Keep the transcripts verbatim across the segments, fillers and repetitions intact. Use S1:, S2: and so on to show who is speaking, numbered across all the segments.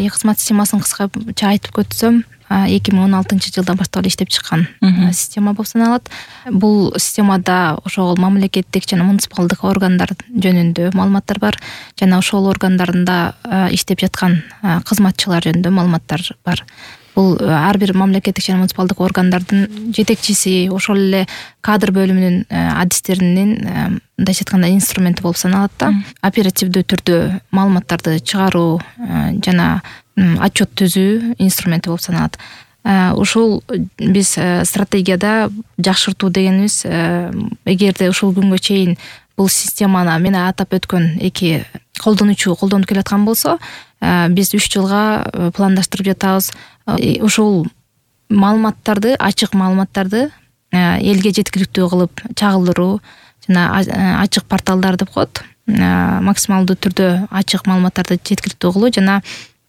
S1: Э кызмат системасын кыскача айтып өтсөм, эки миң он алтынчы жылдан баштап иштеп чыккан система болуп саналат. Бул системада ошол мамлекеттик жана муниципалдык органдар жөнүндө маалыматтар бар жана ошол органдарында иштеп жаткан кызматчылар жөнүндө маалыматтар бар. Бул ар бир мамлекеттик жана муниципалдык органдардын жетекчиси, ошол эле кадр бөлүмүнүн адистеринин мындайча айтканда инструменти болуп саналат да. Оперативдүү түрдө маалыматтарды чыгаруу жана отчет түзүү инструменти болуп саналат. Ушул биз стратегияда жакшыртуу дегенибиз, эгерде ушул күнгө чейин бул системаны мен атап өткөн эки колдонуучу колдонуп келаткан болсо, биз үч жылга пландаштырып жатабыз. Ушул маалыматтарды, ачык маалыматтарды элге жеткиликтүү кылып чагылдыруу жана ачык порталдар деп коет, максималдуу түрдө ачык маалыматтарды жеткиликтүү кылуу жана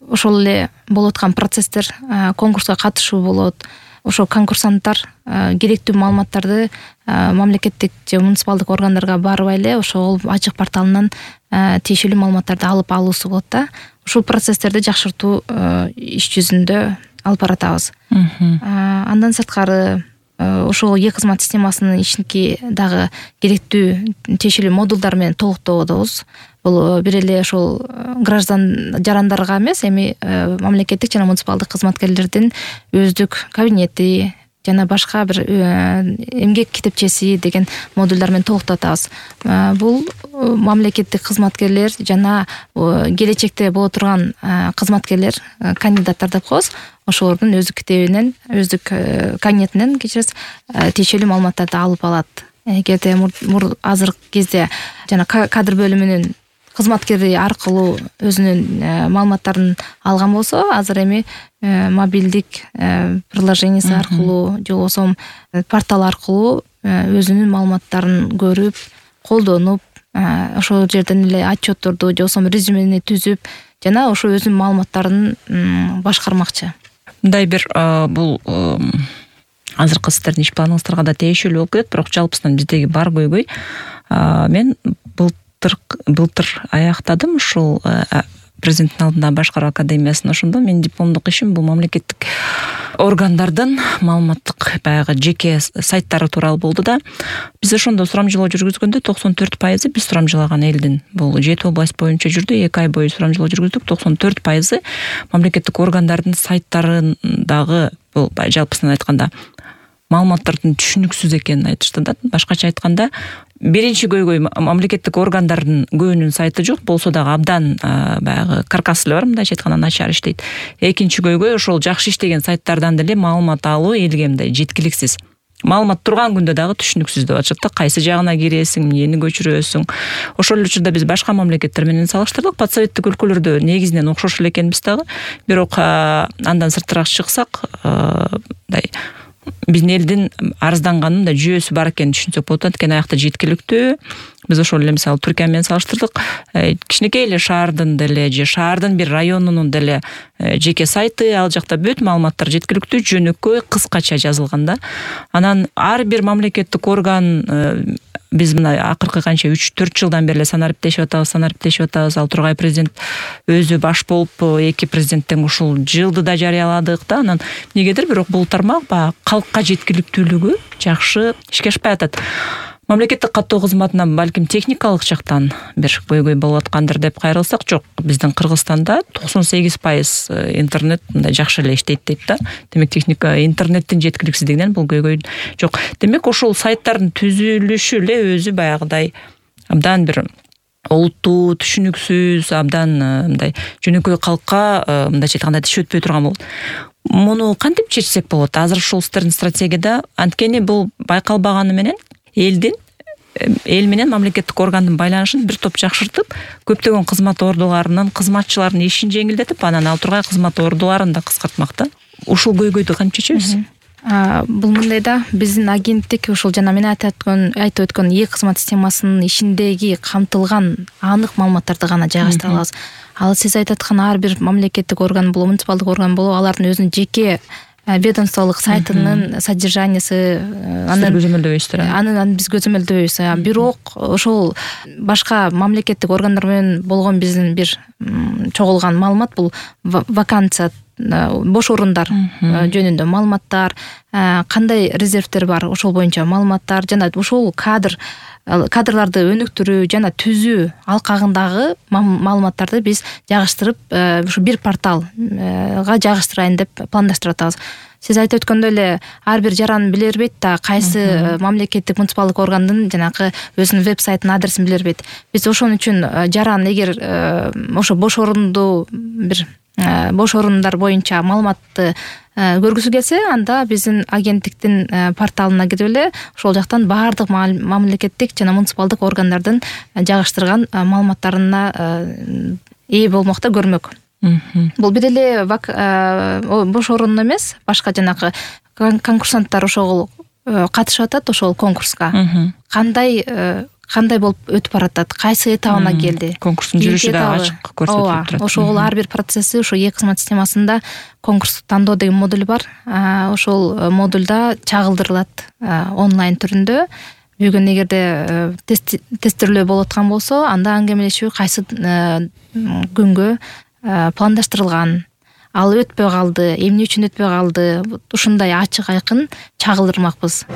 S1: ошол эле болуп аткан процесстер, конкурска катышуу болот. Ошо конкурсанттар керектүү маалыматтарды мамлекеттик же муниципалдык органдарга барбай эле ошол ачык порталынан тиешелүү маалыматтарды алып алуусу болот да. Ушул процесстерди жакшыртуу иш жүзүндө алып баратабыз. Андан сырткары ошол е-кызмат системасынын ичинки дагы керектүү тиешелүү модулдар менен толуктоодобуз. Бул бир эле ошол граждан жарандарга эмес, эми мамлекеттик жана муниципалдык кызматкерлердин өздүк кабинети жана башка бир эмгек китепчеси деген модулдар менен толуктатабыз. Бул мамлекеттик кызматкерлер жана келечекте боло турган кызматкерлер, кандидаттар деп коебуз, ошолордун өздүк китебинен, өздүк кабинетинен кечиресиз тиешелүү маалыматтарды алып алат. Эгерде азыркы кезде жана кадр бөлүмүнүн кызматкери аркылуу өзүнүн маалыматтарын алган болсо, азыр эми мобилдик приложениясы аркылуу же болбосо портал аркылуу өзүнүн маалыматтарын көрүп, колдонуп, ошол жерден эле отчетторду же болбосо резюмени түзүп жана ошо өзүнүн маалыматтарын башкармакчы.
S2: Мындай бир бул азыркы сиздердин иш планыңыздарга да тиешелүү болуп кетет, бирок жалпысынан биздеги бар көйгөй, мен былтыр былтыр аяктадым ушул президенттин алдында башкаруу академиясын. Ошондо менин дипломдук ишим бул мамлекеттик органдардын маалыматтык баягы жеке сайттары тууралуу болду да. Биз ошондо сурамжылоо жүргүзгөндө токсон төрт пайызы биз сурамжылаган элдин, бул жети область боюнча жүрдү, эки ай бою сурамжылоо жүргүздүк, токсон төрт пайызы мамлекеттик органдардын сайттарындагы бул жалпысынан айтканда маалыматтардын түшүнүксүз экенин айтышты да. Башкача айтканда, биринчи көйгөй мамлекеттик органдардын көбүнүн сайты жок, болсо дагы абдан баягы каркасы эле бар, мындайча айтканда начар иштейт. Экинчи көйгөй ошол жакшы иштеген сайттардан деле маалымат алуу элге мындай жеткиликсиз. Маалымат турган күндө дагы түшүнүксүз деп атышат да, кайсы жагына киресиң, эмнени көчүрөсүң. Ошол эле учурда биз башка мамлекеттер менен салыштырдык. Подсоветтик өлкөлөрдө негизинен окшош эле экенбиз дагы. Бирок андан сыртыраак чыксак, мындай биздин элдин арызданганын да жүйөсү бар экенин түшүнсөк болот. Анткени аякта жеткиликтүү. Биз ошол эле мисалы Түркия менен салыштырдык. Кичинекей эле шаардын деле же шаардын бир районунун деле жеке сайты, ал жакта бүт маалыматтар жеткиликтүү, жөнөкөй, кыскача жазылган да. Анан ар бир мамлекеттик орган, биз мына акыркы канча үч төрт жылдан бери эле санариптешип атабыз, санариптешип атабыз. Ал Тургай президент өзү баш болуп, эки президенттен ушул жылды да жарыяладык да. Анан негедир бирок бул тармак баягы калкка жеткиликтүүлүгү жакшы ишке ашпай атат. Мамлекеттик каттоо кызматынан балким техникалык жактан бир көйгөй болуп аткандыр деп кайрылсак, жок. Биздин Кыргызстанда токсон сегиз пайыз интернет мындай жакшы эле иштейт дейт да. Демек техника, интернеттин жеткиликсиздигинен бул көйгөй жок. Демек ошол сайттардын түзүлүшү эле өзү баягыдай абдан бир олуттуу, түшүнүксүз, абдан мындай жөнөкөй калкка мындайча айтканда тиш өтпөй турган болот. Муну кантип чечсек болот? Азыр ушул сиздердин стратегияда, анткени бул байкалбаганы менен элдин эл менен мамлекеттик органдын байланышын бир топ жакшыртып, көптөгөн кызмат ордуларынын кызматчылардын ишин жеңилдетип, анан ал тургай кызмат ордуларын да кыскартмак да. Ушул көйгөйдү кантип чечебиз?
S1: Бул мындай да, биздин агенттик ушул жана мен айтып өткөн айтып өткөн е-кызмат системасынын ичиндеги камтылган анык маалыматтарды гана жайгаштыра алабыз. Ал сиз айтып аткан ар бир мамлекеттик орган болобу, муниципалдык орган болобу, алардын өзүнүн жеке ведомстволук сайтынын содержаниясы
S2: анын көзөмөлдөбөйсүздөр.
S1: Анын биз көзөмөлдөбөйбүз. Бирок ошол башка мамлекеттик органдар менен болгон биздин бир чогулган маалымат бул вакансия, бош орундар жөнүндө маалыматтар, кандай резервдер бар ошол боюнча маалыматтар жана ошол кадр кадрларды өнүктүрүү жана түзүү алкагындагы маалыматтарды биз жагыштырып ушу бир порталга жагыштырайын деп пландаштырып атабыз. Сиз айтып өткөндөй эле ар бир жаран биле бербейт да кайсы мамлекеттик муниципалдык органдын жанагы өзүнүн веб-сайтынын адресин биле бербейт. Биз ошон үчүн жаран эгер ошо бош орунду бир бош орундар боюнча маалыматты көргүсү келсе, анда биздин агенттиктин порталына кирип эле ошол жактан баардык мамлекеттик жана муниципалдык органдардын жагыштырган маалыматтарына ээ болмок да, көрмөк. Бул бир эле бош орун эмес, башка жанагы конкурсанттар ошол катышып атат ошол конкурска. Кандай кандай болуп өтүп баратат, кайсы этабына келди.
S2: Конкурстун жүрүшү да ачык көрсөтүлүп турат.
S1: Ошол ар бир процесси ошо e-кызмат системасында конкурстук тандоо деген модуль бар. Ошол модульда чагылдырылат онлайн түрүндө. Бүгүн эгерде тестирлөө болуп аткан болсо, анда аңгемелешүү кайсы күнгө пландаштырылган, ал өтпөй калды, эмне үчүн өтпөй калды, ушундай ачык айкын чагылдырмакпыз.